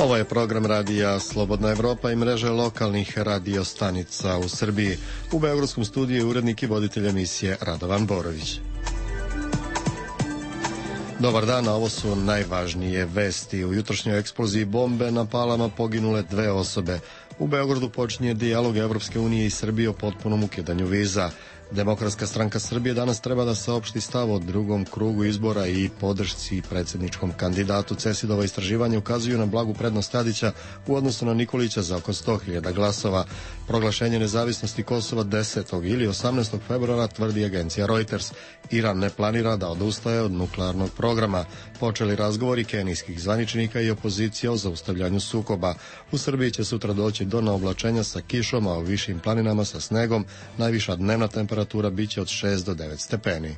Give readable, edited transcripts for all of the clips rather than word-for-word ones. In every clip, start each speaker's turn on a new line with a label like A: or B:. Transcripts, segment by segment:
A: Ovo je program radija Slobodna Evropa i mreže lokalnih radio stanica u Srbiji. U beogradskom studiju je urednik i voditelj emisije Radovan Borović. Dobar dan, a ovo su najvažnije vesti. U jutrošnjoj eksploziji bombe na Palama poginule 2 osobe. U Beogradu počinje dijalog Evropske unije i Srbije o potpunom ukidanju viza. Demokratska stranka Srbije danas treba da saopšti stav o drugom krugu izbora i podršci predsjedničkom kandidatu. CESID-ova istraživanja ukazuju na blagu prednost Tadića u odnosu na Nikolića za oko 100.000 glasova. Proglašenje nezavisnosti Kosova 10. ili 18. februara, tvrdi agencija Reuters. Iran ne planira da odustaje od nuklearnog programa. Počeli razgovori kenijskih zvaničnika i opozicija o zaustavljanju sukoba. U Srbiji će sutra doći do naoblačenja sa kišom, a u višim planinama sa snegom. Najviša dnevna temperatura biće od 6 do 9 stepeni.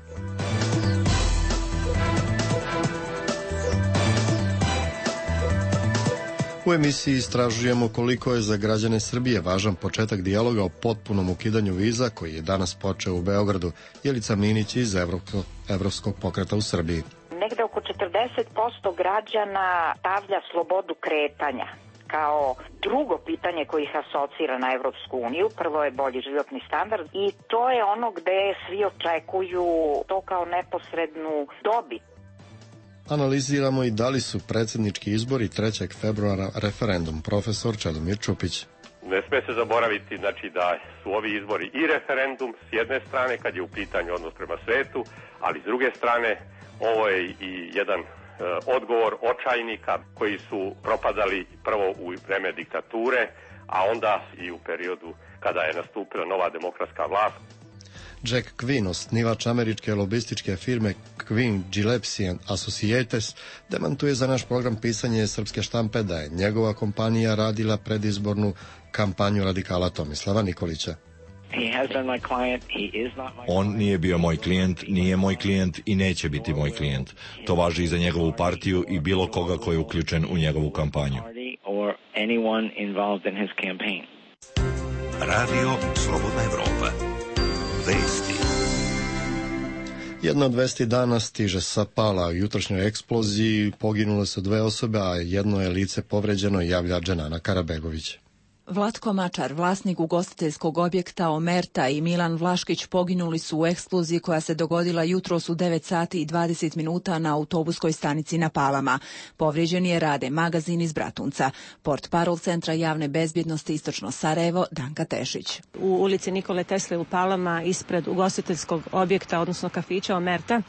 A: U emisiji istražujemo koliko je za građane Srbije važan početak dijaloga o potpunom ukidanju viza koji je danas počeo u Beogradu. Jelica Minić iz Evropskog pokreta u Srbiji.
B: Negde oko 40% građana stavlja slobodu kretanja kao drugo pitanje koje ih asocira na Evropsku uniju. Prvo je bolji životni standard i to je ono gde svi očekuju to kao neposrednu dobit.
A: Analiziramo i da li su predsjednički izbori 3. februara referendum. Profesor Čedomir Čupić.
C: Ne sme se zaboraviti da su ovi izbori i referendum s jedne strane kad je u pitanju odnos prema svetu, ali s druge strane ovo je i jedan odgovor očajnika koji su propadali prvo u vreme diktature, a onda i u periodu kada je nastupila nova demokratska vlast.
A: Jack Quinn, osnivač američke lobističke firme Quinn Gillespie & Associates, demantuje za naš program Pisanje srpske štampe da je njegova kompanija radila predizbornu kampanju radikala Tomislava Nikolića.
D: On nije bio moj klijent, nije moj klijent i neće biti moj klijent. To važi i za njegovu partiju i bilo koga ko je uključen u njegovu kampanju.
E: Radio Slobodna Evropa. Vesti.
A: Jedna od vesti dana stiže sa Pala. U jutrošnjoj eksploziji poginule su 2 osobe, a jedno je lice povređeno, javlja Dženana Karabegović.
F: Vlatko Mačar, vlasnik ugostiteljskog objekta Omerta, i Milan Vlaškić poginuli su u eksploziji koja se dogodila jutros u 9 sati i 20 minuta na autobuskoj stanici na Palama. Povrijeđeni je Rade magazin iz Bratunca. Portparol Centra javne bezbjednosti Istočno Sarajevo, Danka Tešić.
G: U ulici Nikole Tesle u Palama, ispred ugostiteljskog objekta, odnosno kafića Omerta,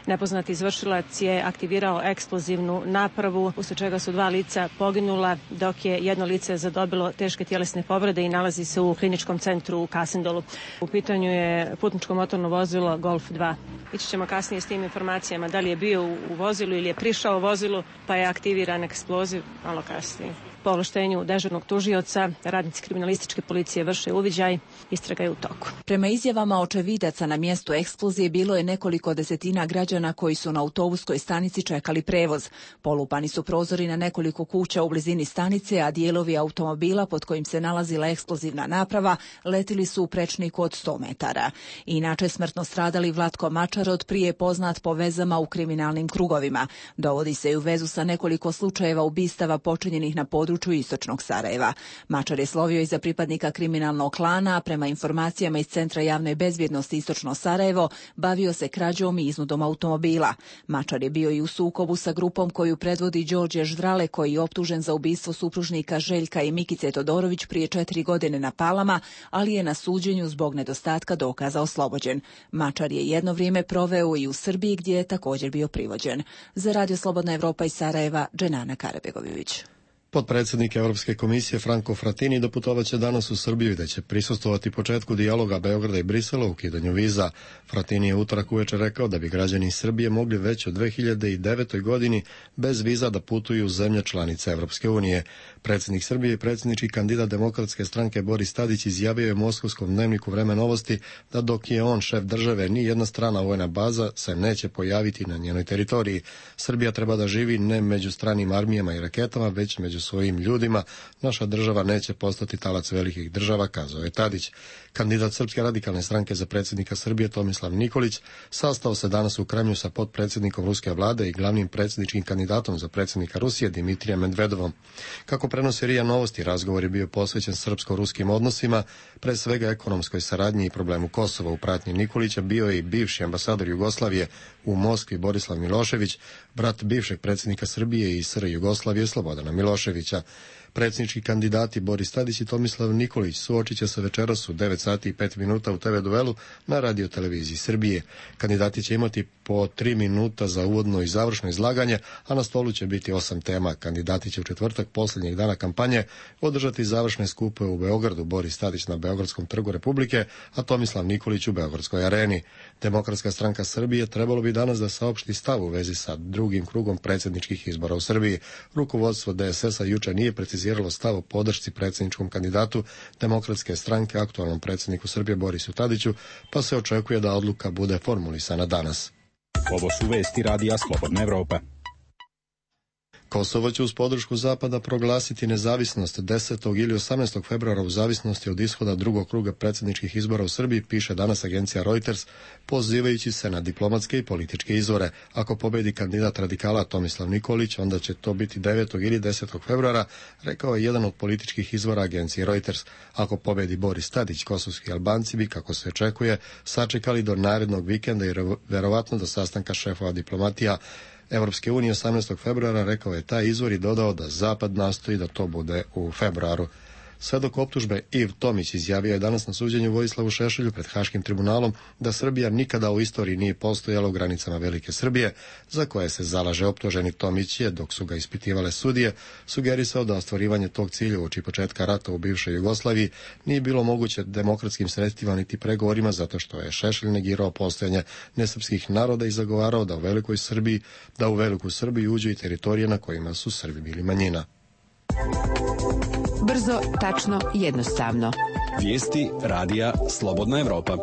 G: nepoznati izvršilac je aktivirao eksplozivnu napravu, usled čega su 2 lica poginula, dok je jedno lice zadobilo teške tjelesne povrede i nalazi se u kliničkom centru u Kasendolu. U pitanju je putničko motorno vozilo Golf 2. Ići ćemo kasnije s tim informacijama da li je bio u vozilu ili je prišao u vozilu, pa je aktiviran eksploziv malo kasnije. Po ovlaštenju dežurnog tužioca, radnici kriminalističke policije vrše uviđaj, istraga je u toku.
F: Prema izjavama očevidaca na mjestu eksplozije bilo je nekoliko desetina građana koji su na autobuskoj stanici čekali prevoz. Polupani su prozori na nekoliko kuća u blizini stanice, a dijelovi automobila pod kojim se nalazila eksplozivna naprava letili su u prečniku od 100 metara. Inače smrtno stradali Vlatko Mačar, od prije poznat po vezama u kriminalnim krugovima. Dovodi se u vezu sa nekoliko slučajeva ubistava počinjenih na području Istočnog Sarajeva. Mačar je slovio i za pripadnika kriminalnog klana, a prema informacijama iz Centra javne bezbjednosti Istočno Sarajevo bavio se krađom i iznudom automobila. Mačar je bio i u sukobu sa grupom koju predvodi Đorđe Ždrale, koji je optužen za ubistvo supružnika Željka i Mikice Todorović prije 4 godine na Palama, ali je na suđenju zbog nedostatka dokaza oslobođen. Mačar je jedno vrijeme proveo i u Srbiji, gdje je također bio privođen. Za Radio Slobodna Evropa iz Sarajeva, Dženana Karabegović.
A: Potpredsjednik Europske komisije Franco Frattini doputovaće danas u Srbiju, gde će prisustvovati početku dijaloga Beograda i Brisela u ukidanju viza. Frattini je utorak uveče rekao da bi građani Srbije mogli već od 2009. godini bez viza da putuju u zemlje članice Evropske unije. Predsjednik Srbije i predsjednički kandidat Demokratske stranke Boris Tadić izjavio je Moskovskom dnevniku Vreme novosti da dok je on šef države, ni jedna strana vojna baza se neće pojaviti na njenoj teritoriji. Srbija treba da živi ne među stranim armijama i raketama, već među svojim ljudima, naša država neće postati talac velikih država, kazao je Tadić. Kandidat Srpske radikalne stranke za predsjednika Srbije Tomislav Nikolić sastao se danas u Kremlju sa potpredsjednikom ruske vlade i glavnim predsjedničkim kandidatom za predsjednika Rusije Dimitrijem Medvedovom. Kako prenosi RIA Novosti, razgovor je bio posvećen srpsko-ruskim odnosima, pre svega ekonomskoj saradnji i problemu Kosova. U pratnji Nikolića bio je i bivši ambasador Jugoslavije u Moskvi Borislav Milošević, brat bivšeg predsjednika Srbije i SR Jugoslavije Slobodana Miloševića. Predsjednički kandidati Boris Tadić i Tomislav Nikolić suočit će se večeras u 9 sati i 5 minuta u TV duelu na radioteleviziji Srbije. Kandidati će imati po 3 minuta za uvodno i završno izlaganje, a na stolu će biti 8 tema. Kandidati će u četvrtak posljednjeg dana kampanje održati završne skupove u Beogradu, Boris Tadić na Beogradskom trgu Republike, a Tomislav Nikolić u Beogradskoj areni. Demokratska stranka Srbije trebalo bi danas da saopšti stav u vezi sa drugim krugom predsjedničkih izbora u Srbiji. Rukovodstvo DSS-a juče nije preciziralo stav o podršci predsjedničkom kandidatu Demokratske stranke, aktualnom predsjedniku Srbije Borisu Tadiću, pa se očekuje da odluka bude formulisana danas.
H: Ovo su vesti Radija Slobodna Evropa.
A: Kosovo će uz podršku Zapada proglasiti nezavisnost 10. ili 18. februara u zavisnosti od ishoda drugog kruga predsjedničkih izbora u Srbiji, piše danas agencija Reuters, pozivajući se na diplomatske i političke izvore. Ako pobedi kandidat radikala Tomislav Nikolić, onda će to biti 9. ili 10. februara, rekao je jedan od političkih izvora agencije Reuters. Ako pobedi Boris Tadić, kosovski Albanci bi, kako se očekuje, sačekali do narednog vikenda i verovatno do sastanka šefova diplomatija Evropske unije 18. februara, rekao je taj izvor i dodao da Zapad nastoji da to bude u februaru. Svedok optužbe Iv Tomić izjavio je danas na suđenju Vojislavu Šešelju pred Haškim tribunalom da Srbija nikada u istoriji nije postojala u granicama Velike Srbije, za koje se zalaže optuženi. Tomić je, dok su ga ispitivale sudije, sugerisao da ostvarivanje tog cilja uoči početka rata u bivšoj Jugoslaviji nije bilo moguće demokratskim sredstvima niti pregovorima, zato što je Šešelj negirao postojanje nesrpskih naroda i zagovarao da u Veliku Srbiju uđu i teritorije na kojima su Srbi bili manjina.
I: Brzo, tačno, jednostavno.
H: Vijesti Radija Slobodna Evropa.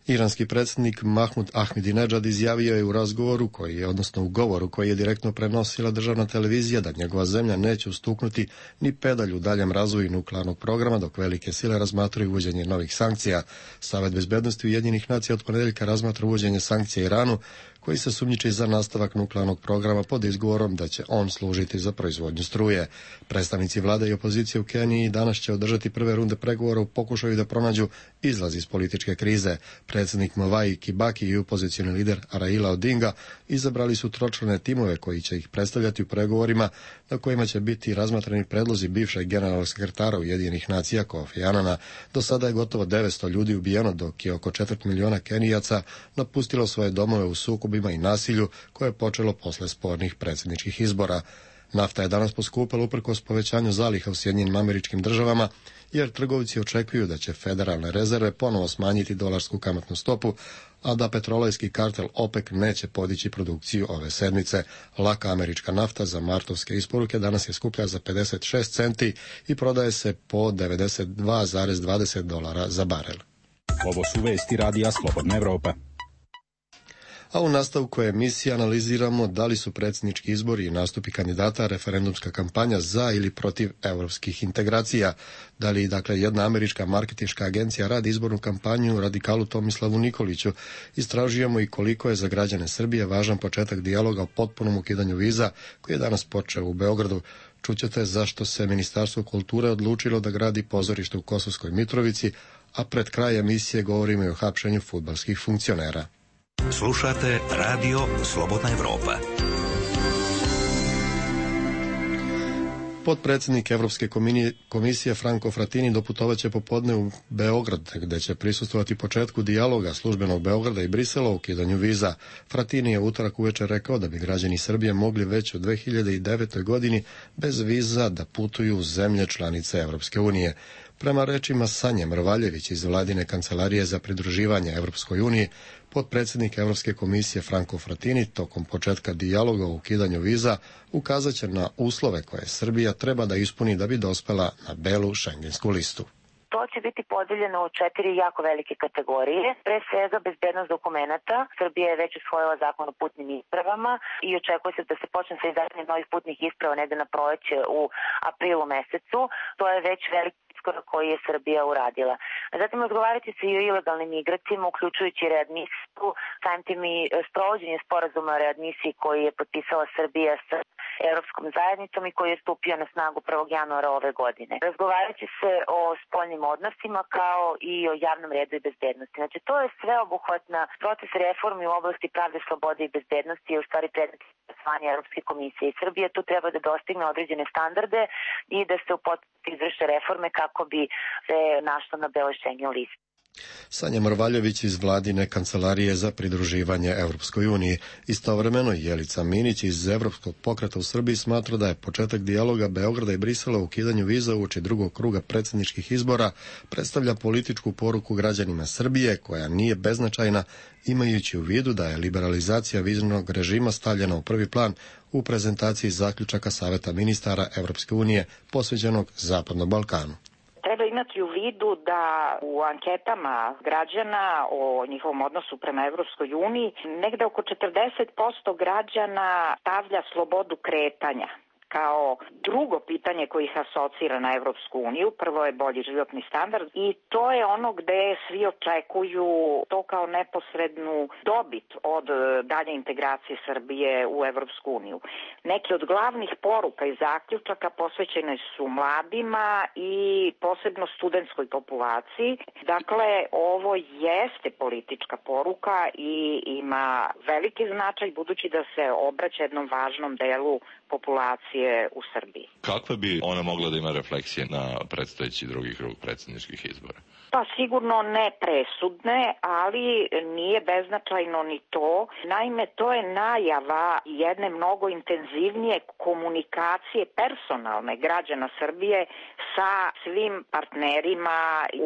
A: Iranski predsjednik Mahmud Ahmadinejad izjavio je u govoru koji je direktno prenosila državna televizija da njegova zemlja neće ustuknuti ni pedalj u daljem razvoju nuklearnog programa dok velike sile razmatraju uvođenje novih sankcija. Savet bezbednosti Ujedinjenih nacija od ponedjeljka razmatra uvođenje sankcija Iranu, koji se sumnjiči za nastavak nuklearnog programa pod izgovorom da će on služiti za proizvodnju struje. Predstavnici vlade i opozicije u Keniji danas će održati prve runde pregovora u pokušaju da pronađu izlaz iz političke krize. Predsjednik Mwai Kibaki i opozicioni lider Raila Odinga izabrali su tročlane timove koji će ih predstavljati u pregovorima na kojima će biti razmatrani predlozi bivšeg generalnog sekretara Ujedinjenih nacija Kofi Anana. Do sada je gotovo 900 ljudi ubijeno, dok je oko 4 miliona Kenijaca napustilo svoje domove u sukobima i nasilju koje je počelo posle spornih predsjedničkih izbora. Nafta je danas poskupila uprkos povećanju zaliha u Sjedinjenim Američkim Državama, jer trgovci očekuju da će federalne rezerve ponovo smanjiti dolarsku kamatnu stopu, a da petrolejski kartel OPEC neće podići produkciju ove sedmice. Laka američka nafta za martovske isporuke danas je skuplja za 56 centi i prodaje se po $92,20 za barel.
H: Ovo su vesti Radija Slobodna Evropa.
A: A u nastavku emisije analiziramo da li su predsjednički izbori i nastupi kandidata referendumska kampanja za ili protiv europskih integracija. Da li, jedna američka marketinška agencija radi izbornu kampanju radikalu Tomislavu Nikoliću. Istražujemo i koliko je za građane Srbije važan početak dijaloga o potpunom ukidanju viza koji je danas počeo u Beogradu. Čućete zašto se Ministarstvo kulture odlučilo da gradi pozorište u Kosovskoj Mitrovici, a pred kraj emisije govorimo i o hapšenju fudbalskih funkcionera.
E: Slušate Radio Slobodna Evropa.
A: Potpredsjednik Evropske komisije Franco Frattini doputovaće popodne u Beograd, gde će prisustvovati početku dijaloga službenog Beograda i Brisela o ukidanju viza. Frattini je utorak uveče rekao da bi građani Srbije mogli već u 2009. godini bez viza da putuju u zemlje članice Evropske unije. Prema rečima Sanje Mrvaljević iz vladine kancelarije za pridruživanje Evropskoj uniji, potpredsjednik Evropske komisije Franco Frattini tokom početka dijaloga o ukidanju viza ukazat će na uslove koje Srbija treba da ispuni da bi dospela na belu šengensku listu.
J: To će biti podeljeno u 4 jako velike kategorije. Pre svega bezbednost dokumenata. Srbija je već usvojila zakon o putnim ispravama i očekuje se da se počne sa izdavanjem novih putnih isprava negde na proleće u aprilu mesecu. To je već veliki iskorak koji je Srbija uradila. Zatim odgovarati se i o ilegalnim migracijama, uključujući readmisiju, samim tim i sprovođenje sporazuma o readmisiji koji je potpisala Srbija sa Evropskom zajednicom i koji je stupio na snagu 1. januara ove godine. Razgovarat će se o spoljnim odnosima kao i o javnom redu i bezbednosti. Znači, to je sveobuhvatna proces reformi u oblasti pravde, slobode i bezbednosti je u stvari predmet usvajanja Evropske komisije. I Srbija tu treba da dostigne određene standarde i da se u potpunosti izvrše reforme kako bi se našla na beloj Schengen listi.
A: Sanja Mrvaljević iz vladine kancelarije za pridruživanje Evropskoj uniji. Istovremeno Jelica Minić iz Evropskog pokreta u Srbiji smatra da je početak dijaloga Beograda i Brisela u ukidanju viza uoči drugog kruga predsjedničkih izbora predstavlja političku poruku građanima Srbije koja nije beznačajna, imajući u vidu da je liberalizacija viznog režima stavljena u prvi plan u prezentaciji zaključaka Saveta ministara Evropske unije posvećenog Zapadnom Balkanu.
B: Treba imati u vidu da u anketama građana o njihovom odnosu prema Evropskoj uniji negde oko 40% građana stavlja slobodu kretanja kao drugo pitanje koje ih asocira na Evropsku uniju. Prvo je bolji životni standard i to je ono gde svi očekuju to kao neposrednu dobit od dalje integracije Srbije u Evropsku uniju. Neki od glavnih poruka i zaključaka posvećene su mladima i posebno studentskoj populaciji. Dakle, ovo jeste politička poruka i ima veliki značaj budući da se obraća jednom važnom delu populacije u Srbiji.
D: Kakve bi ona mogla da ima refleksije na predstojeći drugi krug predsjedničkih izbora?
B: Pa sigurno ne presudne, ali nije beznačajno ni to. Naime, to je najava jedne mnogo intenzivnije komunikacije personalne građana Srbije sa svim partnerima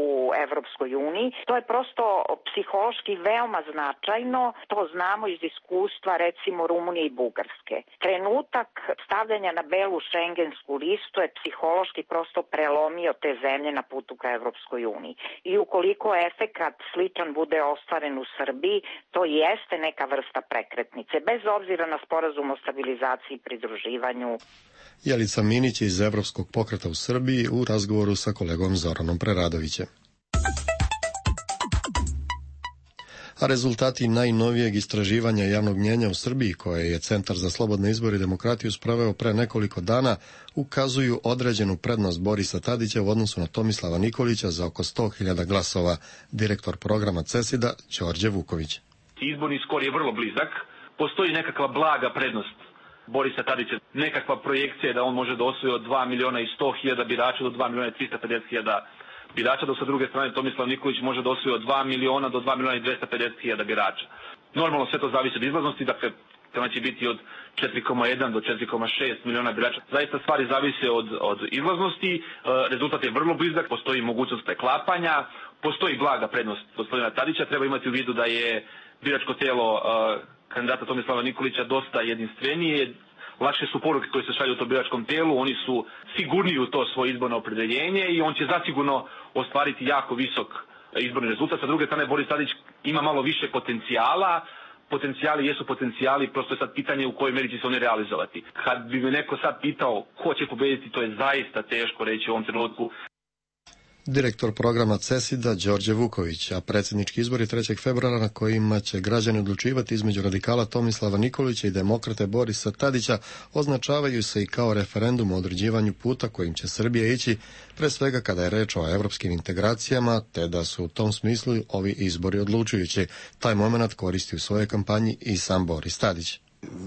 B: u Evropskoj uniji. To je prosto psihološki veoma značajno. To znamo iz iskustva recimo Rumunije i Bugarske. Trenutak stavljanja na belu šengensku listu je psihološki prosto prelomio te zemlje na putu ka Evropskoj uniji. I ukoliko efekat sličan bude ostvaren u Srbiji, to jeste neka vrsta prekretnice, bez obzira na sporazum o stabilizaciji i pridruživanju.
A: Jelica Minić iz Evropskog pokreta u Srbiji u razgovoru sa kolegom Zoranom Preradovićem. A rezultati najnovijeg istraživanja javnog mnjenja u Srbiji, koje je Centar za slobodne izbore i demokratiju sproveo pre nekoliko dana, ukazuju određenu prednost Borisa Tadića u odnosu na Tomislava Nikolića za oko 100.000 glasova. Direktor programa CESID-a Đorđe Vuković.
K: Izborni skor je vrlo blizak. Postoji nekakva blaga prednost Borisa Tadića. Nekakva projekcija je da on može da osvoji od 2.100.000 birača do 2.350.000 birača, dok sa druge strane Tomislav Nikolić može da osvoji od 2 miliona do 2.250.000 birača. Normalno sve to zavisi od izlaznosti, dakle tema će biti od 4,1 do 4,6 miliona birača. Zaista stvari zavise od izlaznosti, rezultat je vrlo blizak, postoji mogućnost preklapanja, postoji blaga prednost gospodina Tadića, treba imati u vidu da je biračko telo kandidata Tomislava Nikolića dosta jedinstvenije, lakše su poruke koje se šalju u tom biračkom telu, oni su sigurniji u to svoje izborno opredeljenje i on će zasigurno ostvariti jako visok izborni rezultat. Sa druge strane, Boris Tadić ima malo više potencijala. Potencijali jesu potencijali, prosto je sad pitanje u kojoj meri će se oni realizovati. Kad bi me neko sad pitao ko će pobediti, to je zaista teško reći u ovom trenutku.
A: Direktor programa CESID-a Đorđe Vuković, a predsjednički izbori 3. februara na kojima će građani odlučivati između radikala Tomislava Nikolića i demokrate Borisa Tadića označavaju se i kao referendum o određivanju puta kojim će Srbija ići, pre svega kada je reč o evropskim integracijama, te da su u tom smislu ovi izbori odlučujući. Taj moment koristi u svojoj kampanji i sam Boris Tadić.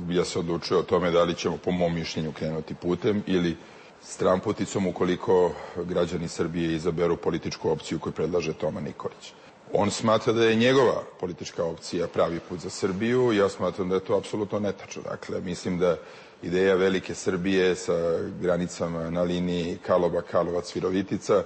L: Ja se odlučujem o tome da li ćemo po mom mišljenju krenuti putem ili stramputicom ukoliko građani Srbije izaberu političku opciju koju predlaže Toma Nikolić. On smatra da je njegova politička opcija pravi put za Srbiju, ja smatram da je to apsolutno netačno. Dakle, mislim da ideja velike Srbije sa granicama na liniji Karlobag-Karlovac-Virovitica,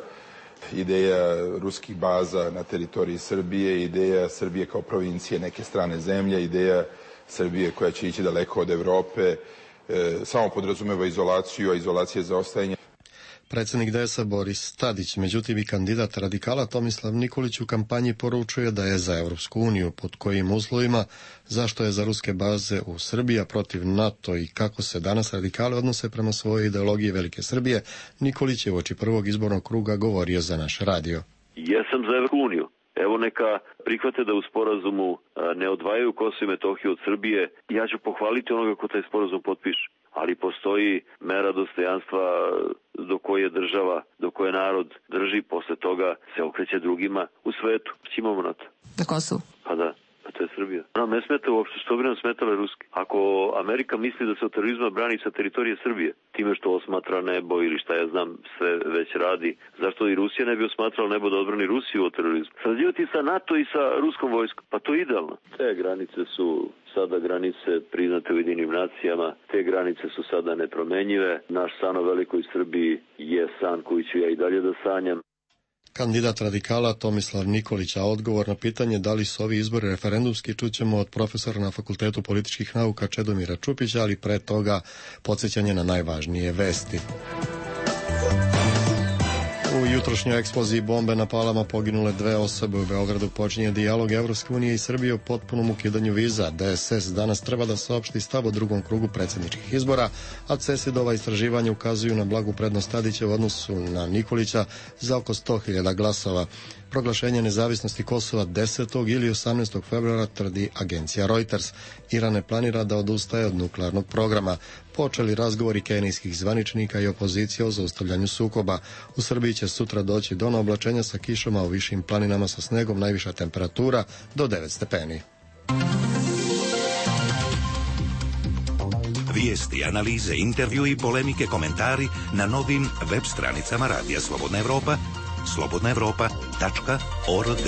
L: ideja ruskih baza na teritoriji Srbije, ideja Srbije kao provincije neke strane zemlje, ideja Srbije koja će ići daleko od Evrope, samo podrazumeva izolaciju, a izolacija je zaostajanje.
A: Predsjednik DS-a Boris Tadić, međutim i kandidat radikala Tomislav Nikolić u kampanji poručuje da je za Europsku uniju, pod kojim uslovima, zašto je za ruske baze u Srbiji, a protiv NATO i kako se danas radikali odnose prema svojoj ideologiji Velike Srbije. Nikolić je uoči prvog izbornog kruga govorio za naš radio.
M: Jesam za Europsku uniju. Evo neka prihvate da u sporazumu ne odvajaju Kosovo i Metohiju od Srbije. Ja ću pohvaliti onoga ko taj sporazum potpiše. Ali postoji mera dostojanstva do koje država, do koje narod drži, posle toga se okreće drugima u svetu. Imamo na to.
I: Na Kosovu?
M: Pa da. To je Srbija. Nam ne smeta uopšte, što bi nam smetale ruski. Ako Amerika misli da se od terorizma brani sa teritorije Srbije, time što osmatra nebo ili šta ja znam sve već radi, zašto i Rusija ne bi osmatrala nebo da odbrani Rusiju od terorizma? Sarađivati sa NATO i sa ruskom vojskom, pa to je idealno. Te granice su sada granice priznate Ujedinjenim nacijama, te granice su sada nepromenjive. Naš san o velikoj Srbiji je san koji ću ja i dalje da sanjam.
A: Kandidat radikala Tomislav Nikolić, a odgovor na pitanje da li su ovi izbori referendumski čućemo od profesora na Fakultetu političkih nauka Čedomira Čupića, ali pre toga podsjećanje na najvažnije vesti. U jutrošnjoj eksploziji bombe na Palama poginule 2 osobe. U Beogradu počinje dijalog Evropske unije i Srbije o potpunom ukidanju viza. DSS danas treba da saopšti stav o drugom krugu predsjedničkih izbora, a CESID-ova istraživanja ukazuju na blagu prednost Tadića u odnosu na Nikolića za oko 100.000 glasova. Proglašenje nezavisnosti Kosova 10. ili 18. februara tvrdi agencija Reuters. Iran ne planira da odustaje od nuklearnog programa. Počeli razgovori kenijskih zvaničnika i opozicije o zaustavljanju sukoba. U Srbiji će sutra doći do oblačenja sa kišama u višim planinama sa snegom, najviša temperatura do 9 stepeni.
E: Vijesti, analize, intervju i polemike, komentari na novim web stranicama Radija Slobodna Evropa, slobodnaevropa.org.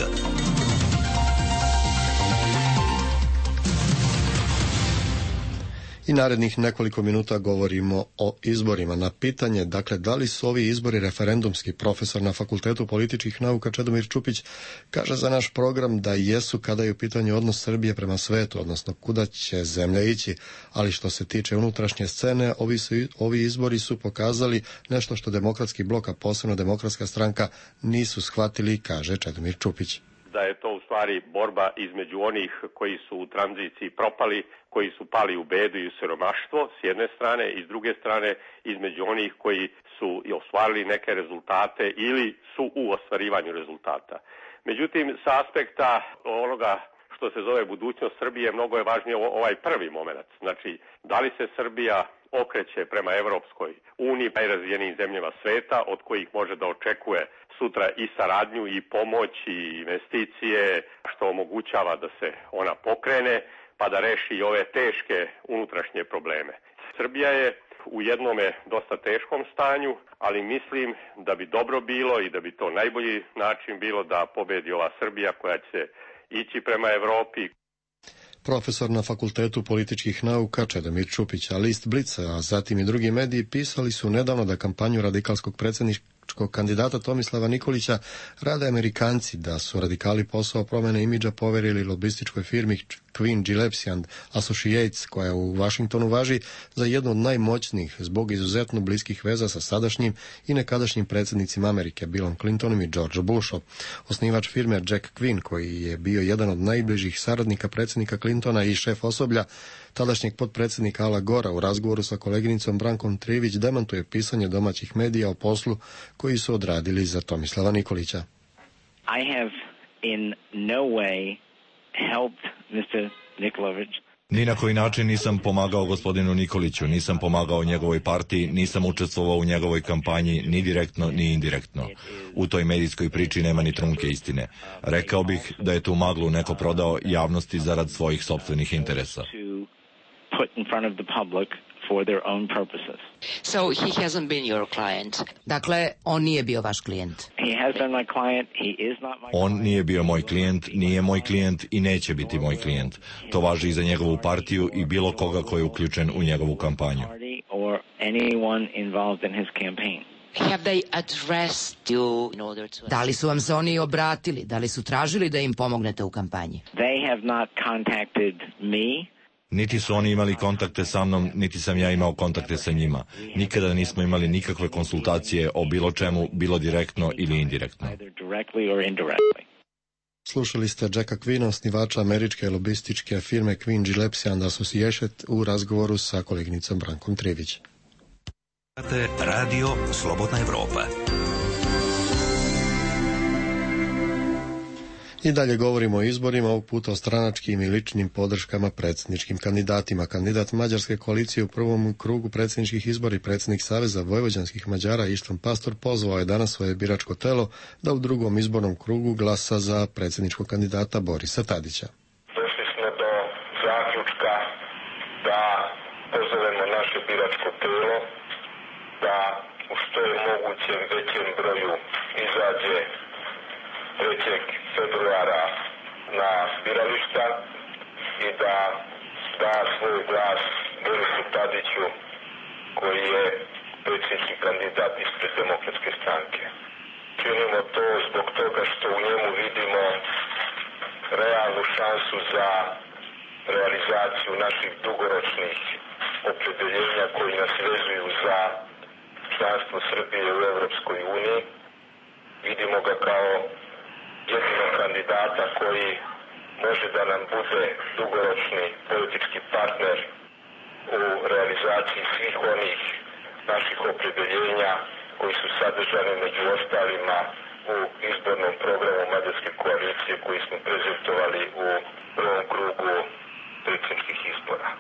A: I narednih nekoliko minuta govorimo o izborima. Na pitanje, dakle, da li su ovi izbori referendumski, profesor na Fakultetu političkih nauka Čedomir Čupić kaže za naš program da jesu kada je u pitanju odnos Srbije prema svetu, odnosno kuda će zemlja ići, ali što se tiče unutrašnje scene, ovi izbori su pokazali nešto što demokratski blok, a posebno demokratska stranka, nisu shvatili, kaže Čedomir Čupić.
C: Da je to u stvari borba između onih koji su u tranziciji propali, koji su pali u bedu i u siromaštvo s jedne strane i s druge strane između onih koji su ostvarili neke rezultate ili su u ostvarivanju rezultata. Međutim, sa aspekta onoga što se zove budućnost Srbije, mnogo je važnije ovaj prvi moment. Znači, da li se Srbija okreće prema Evropskoj uniji, najrazvijenijim zemljama sveta, od kojih može da očekuje sutra i saradnju i pomoć i investicije, što omogućava da se ona pokrene, pa da reši i ove teške unutrašnje probleme. Srbija je u jednome dosta teškom stanju, ali mislim da bi dobro bilo i da bi to najbolji način bilo da pobedi ova Srbija koja će ići prema Evropi.
A: Profesor na Fakultetu političkih nauka Čedomir Čupić, a list Blica, a zatim i drugi mediji pisali su nedavno da kampanju radikalskog predsjedničkog kandidata Tomislava Nikolića rade Amerikanci, da su radikali posao promjene imidža poverili lobističkoj firmi Queen Gillespie and Associates, koja u Vašingtonu važi za jednu od najmoćnijih zbog izuzetno bliskih veza sa sadašnjim i nekadašnjim predsjednicima Amerike, Billom Clintonom i George Bushom. Osnivač firme Jack Quinn, koji je bio jedan od najbližih saradnika predsjednika Clintona i šef osoblja tadašnjeg potpredsjednika Ala Gora, u razgovoru sa koleginicom Brankom Trivić demantuje pisanje domaćih medija o poslu koji su odradili za Tomislava Nikolića.
N: I have in no way helped Mr. Nikolović.
D: Ni na koji način nisam pomagao gospodinu Nikoliću, nisam pomagao njegovoj partiji, nisam učestvovao u njegovoj kampanji ni direktno ni indirektno. U toj medijskoj priči nema ni trunke istine. Rekao bih da je tu maglu neko prodao javnosti zarad svojih sopstvenih interesa.
I: So he hasn't been your client. Dakle, on nije bio vaš klijent.
D: On nije bio moj klijent, nije moj klijent i neće biti moj klijent. To važi i za njegovu partiju i bilo koga ko je uključen u njegovu kampanju.
I: Da li su vam se oni obratili? Da li su tražili da im pomognete u kampanji?
D: Niti su oni imali kontakte sa mnom, niti sam ja imao kontakte sa njima. Nikada nismo imali nikakve konsultacije o bilo čemu, bilo direktno ili indirektno.
A: Slušali ste Jacka Quina, osnivača američke lobističke firme Quinn Gillespie and Association u razgovoru sa koleginicom Brankom Trivić.
E: Radio Slobodna Evropa.
A: I dalje govorimo o izborima, ovog puta o stranačkim i ličnim podrškama predsjedničkim kandidatima. Kandidat Mađarske koalicije u prvom krugu predsjedničkih izbora i predsjednik Saveza vojvođanskih Mađara Ištvan Pastor pozvao je danas svoje biračko telo da u drugom izbornom krugu glasa za predsjedničkog kandidata Borisa Tadića.
O: Došli smo do zaključka da pozovemo naše biračko telo da u što je mogućem većem broju izađe 3. februara na birališta i da da svoj glas Borisu Tadiću koji je predsjednički kandidat ispred Demokratske stranke. Činimo to zbog toga što u njemu vidimo realnu šansu za realizaciju naših dugoročnih opredjeljenja koji nas vezuju za članstvo Srbije u Evropskoj uniji. Vidimo ga kao jedinog kandidata koji može da nam bude dugoročni politički partner u realizaciji svih onih naših opredjeljenja koji su sadržani među ostalima u izbornom programu Mađarske koalicije koji smo prezentovali u prvom krugu predsjedničkih izbora.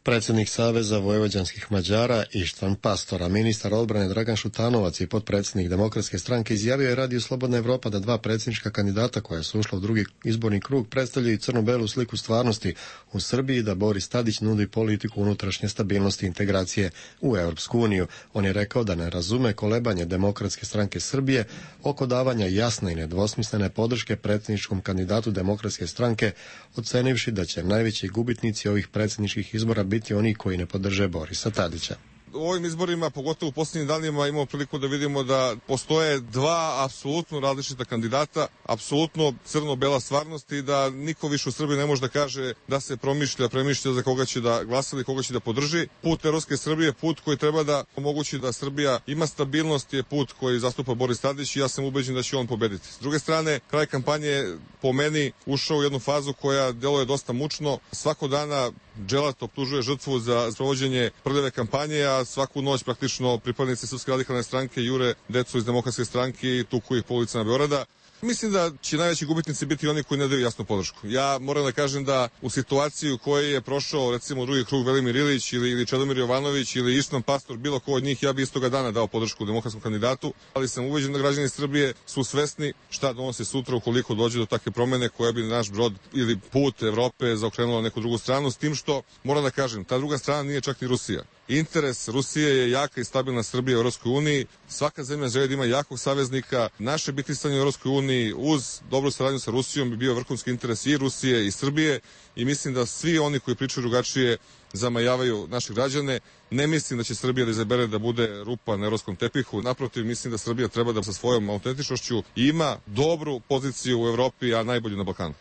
A: Predsjednik Saveza vojvođanskih Mađara Ištvan Pastor, a ministar odbrane Dragan Šutanovac i potpredsjednik Demokratske stranke izjavio je Radio Slobodna Evropa da dva predsjednička kandidata koja su ušla u drugi izborni krug predstavljaju crno-belu sliku stvarnosti u Srbiji, da Boris Tadić nudi politiku unutrašnje stabilnosti i integracije u Europsku uniju. On je rekao da ne razume kolebanje Demokratske stranke Srbije oko davanja jasne i nedvosmislene podrške predsjedničkom kandidatu Demokratske stranke, ocenivši da će najveći gubitnici ovih predsjedničkih izbora biti oni koji ne podrže Borisa Tadića.
P: U ovim izborima, pogotovo u posljednjim danima, imamo priliku da vidimo da postoje dva apsolutno različita kandidata, apsolutno crno-bela stvarnost i da niko više u Srbiji ne može da kaže da se premišlja za koga će da glasa ili koga će da podrži. Put evropske Srbije, put koji treba da omogući da Srbija ima stabilnost, je put koji zastupa Boris Tadić i ja sam ubeđen da će on pobediti. S druge strane, kraj kampanje po meni ušao u jednu fazu koja deluje dosta mučno. Svako dana dželat optužuje žrtvu za sprovođenje prljave kampanje, a svaku noć praktično pripadnici Srpske radikalne stranke jure decu iz Demokratske stranke i tuku ih po ulicama Beograda. Mislim da će najveći gubitnici biti oni koji ne daju jasnu podršku. Ja moram da kažem da u situaciji u kojoj je prošao recimo drugi krug Velimir Ilić ili Čedomir Jovanović ili Ištvan Pastor, bilo ko od njih, ja bi istoga dana dao podršku demokratskom kandidatu, ali sam ubeđen da građani Srbije su svesni šta donosi sutra ukoliko dođe do takve promene koja bi naš brod ili put Evrope zaokrenula neku drugu stranu, s tim što, moram da kažem, ta druga strana nije čak ni Rusija. Interes Rusije je jaka i stabilna Srbija u Europskoj uniji. Svaka zemlja želi da ima jakog saveznika. Naše bitisanje u Europskoj uniji uz dobru saradnju sa Rusijom bi bio vrhunski interes i Rusije i Srbije i mislim da svi oni koji pričaju drugačije zamajavaju naše građane. Ne mislim da će Srbija da izabere da bude rupa na evropskom tepihu. Naprotiv, mislim da Srbija treba da sa svojom autentičnošću ima dobru poziciju u Evropi, a najbolju na Balkanu.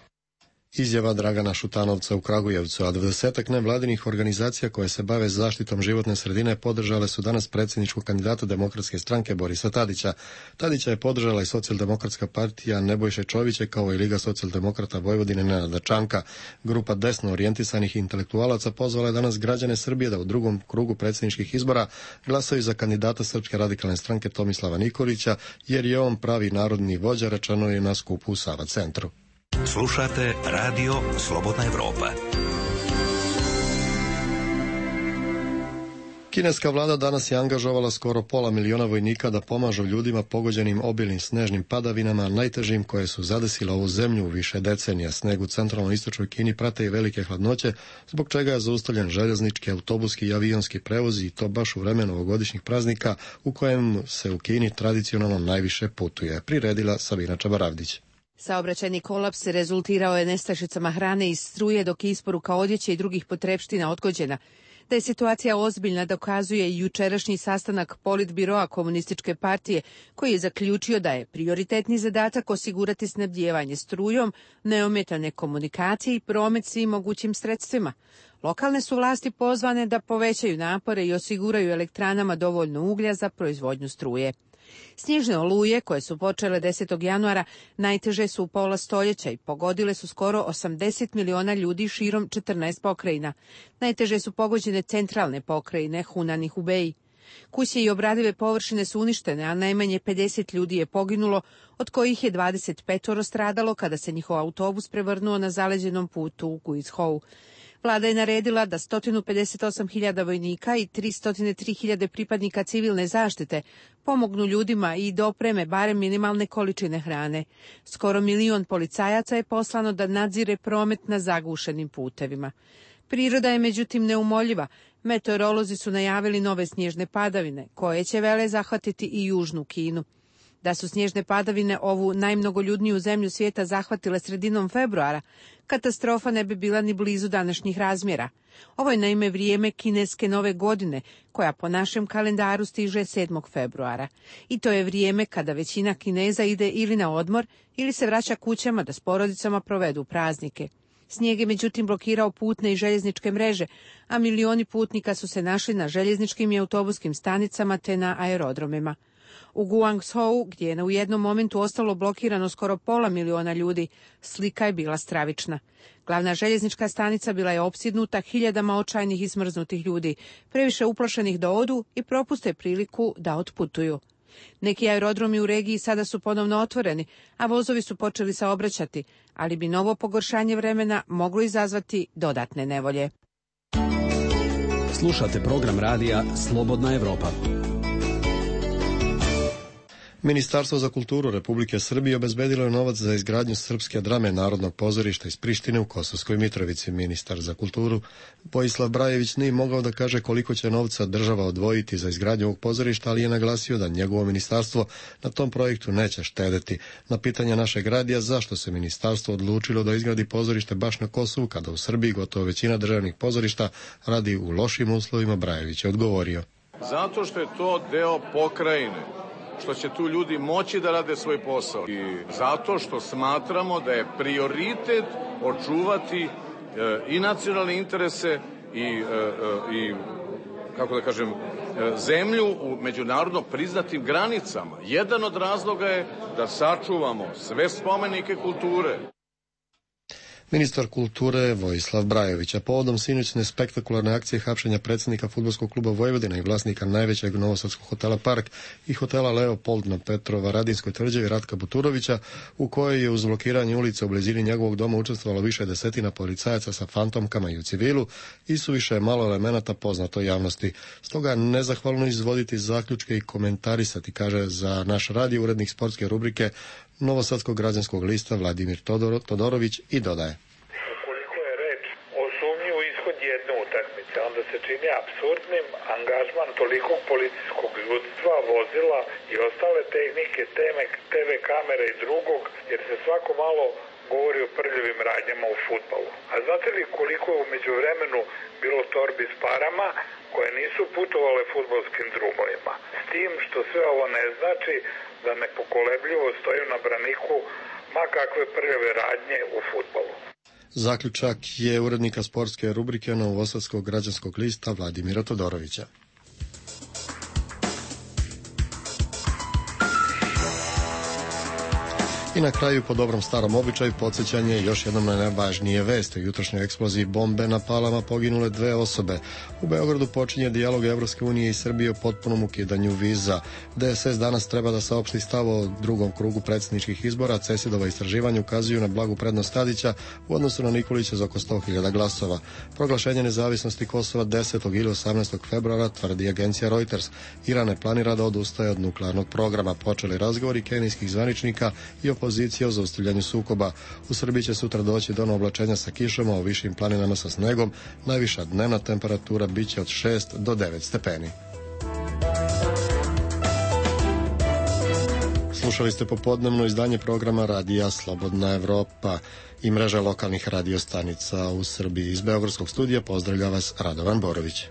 A: Izjava Dragana Šutanovca u Kragujevcu, a 20-ak nevladinih organizacija koje se bave zaštitom životne sredine podržale su danas predsjedničkog kandidata Demokratske stranke Borisa Tadića. Tadića je podržala i Socijaldemokratska partija Nebojše Čovića kao i Liga socijaldemokrata Vojvodine Nenada Čanka. Grupa desno orijentisanih intelektualaca pozvala je danas građane Srbije da u drugom krugu predsjedničkih izbora glasaju za kandidata Srpske radikalne stranke Tomislava Nikolića, jer je on pravi narodni vođa, rečeno je na skupu u Sava centru.
E: Slušate Radio Slobodna Evropa.
A: Kineska vlada danas je angažovala skoro 500 miliona vojnika da pomažu ljudima pogođenim obilnim snežnim padavinama, najtežim koje su zadesile ovu zemlju u više decenija. Sneg u centralno-istočnoj Kini prate i velike hladnoće, zbog čega je zaustavljen željeznički, autobuski i avionski prevoz, i to baš u vreme novogodišnjih praznika u kojem se u Kini tradicionalno najviše putuje. Priredila Sabina Čabaravdić.
Q: Saobraćajni kolaps rezultirao je nestašicama hrane i struje, dok je isporuka odjeće i drugih potrepština odgođena. Da je situacija ozbiljna dokazuje i jučerašnji sastanak Politbiroa Komunističke partije, koji je zaključio da je prioritetni zadatak osigurati snabdijevanje strujom, neometane komunikacije i promet svim mogućim sredstvima. Lokalne su vlasti pozvane da povećaju napore i osiguraju elektranama dovoljno uglja za proizvodnju struje. Snježne oluje, koje su počele 10. januara, najteže su u pola stoljeća i pogodile su skoro 80 miliona ljudi širom 14 pokrajina. Najteže su pogođene centralne pokrajine, Hunan i Hubei. Kuće i obradive površine su uništene, a najmanje 50 ljudi je poginulo, od kojih je 25 stradalo kada se njihov autobus prevrnuo na zaleđenom putu u Guizhou. Vlada je naredila da 158.000 vojnika i 303.000 pripadnika civilne zaštite pomognu ljudima i dopreme barem minimalne količine hrane. Skoro 1 milion policajaca je poslano da nadzire promet na zagušenim putevima. Priroda je međutim neumoljiva. Meteorolozi su najavili nove snježne padavine, koje će vele zahvatiti i južnu Kinu. Da su snježne padavine ovu najmnogoljudniju zemlju svijeta zahvatile sredinom februara, katastrofa ne bi bila ni blizu današnjih razmjera. Ovo je naime vrijeme kineske nove godine, koja po našem kalendaru stiže 7. februara. I to je vrijeme kada većina Kineza ide ili na odmor ili se vraća kućama da s porodicama provedu praznike. Snijeg je međutim blokirao putne i željezničke mreže, a milioni putnika su se našli na željezničkim i autobuskim stanicama te na aerodromima. U Guangzhou, gdje je u jednom momentu ostalo blokirano skoro 500.000 ljudi, slika je bila stravična. Glavna željeznička stanica bila je opsjednuta hiljadama očajnih i smrznutih ljudi, previše uplašenih da odu i propuste priliku da otputuju. Neki aerodromi u regiji sada su ponovno otvoreni, a vozovi su počeli saobraćati, ali bi novo pogoršanje vremena moglo izazvati dodatne nevolje.
H: Slušate program radija Slobodna Evropa.
A: Ministarstvo za kulturu Republike Srbije obezbedilo je novac za izgradnju srpske drame Narodnog pozorišta iz Prištine u Kosovskoj Mitrovici. Ministar za kulturu Vojislav Brajević nije mogao da kaže koliko će novca država odvojiti za izgradnju ovog pozorišta, ali je naglasio da njegovo ministarstvo na tom projektu neće štedeti. Na pitanje našeg radija zašto se ministarstvo odlučilo da izgradi pozorište baš na Kosovu, kada u Srbiji gotovo većina državnih pozorišta radi u lošim uslovima, Brajević je odgovorio.
R: Zato što je to deo pokrajine, što će tu ljudi moći da rade svoj posao i zato što smatramo da je prioritet očuvati i nacionalne interese i kako da kažem, zemlju u međunarodno priznatim granicama. Jedan od razloga je da sačuvamo sve spomenike kulture.
A: Ministar kulture Vojislav Brajević, a povodom sinoćne spektakularne akcije hapšenja predsjednika Fudbalskog kluba Vojvodina i vlasnika najvećeg novosadskog hotela Park i hotela Leopold na Petrovaradinskoj tvrđavi Ratka Buturovića, u kojoj je uz blokiranje ulice u blizini njegovog doma učestvovalo više desetina policajaca sa fantomkama i u civilu, isuviše je malo elemenata poznato javnosti. Stoga nezahvalno izvoditi zaključke i komentarisati, kaže za naš radio urednik sportske rubrike Novosadskog građanskog lista Vladimir Todorović i dodaje.
S: Ukoliko je reč o sumnji u ishod jedne utakmice, onda se čini apsurdnim angažman tolikog policijskog ljudstva, vozila i ostale tehnike, TV kamere i drugog, jer se svako malo govori o prljavim radnjama u fudbalu. A znate li koliko je umeđu vremenu bilo torbi s parama koje nisu putovale fudbalskim drumovima? S tim što sve ovo ne znači da nepokolebljivo stoju na braniku ma kakve prljave radnje u fudbalu.
A: Zaključak je urednika sportske rubrike Novosadskog građanskog lista Vladimira Todorovića. I na kraju, po dobrom starom običaju, podsjećanje još jednom na najvažnije vesti. U jutrošnjoj eksploziji bombe na Palama poginule 2 osobe. U Beogradu počinje dijalog Evropske unije i Srbije o potpunom ukidanju viza. DSS danas treba da saopšti stav o drugom krugu predsjedničkih izbora. CESID-ova istraživanja ukazuju na blagu prednost Tadića u odnosu na Nikolića za oko 100.000 glasova. Proglašenje nezavisnosti Kosova 10. ili 18. februara, tvrdi agencija Reuters. Iran ne planira da odustaje od nuklearnog programa. Počeli razgovori kenijskih zvaničnika i opozicija o zaustavljanju sukoba. U Srbiji će sutra doći do oblačenja sa kišom, a u višim planinama sa snegom. Najviša dnevna temperatura biće od 6 do 9 stepeni. Slušali ste popodnevno izdanje programa Radija Slobodna Evropa i mreža lokalnih radiostanica u Srbiji. Iz Beogradskog studija pozdravlja vas Radovan Borović.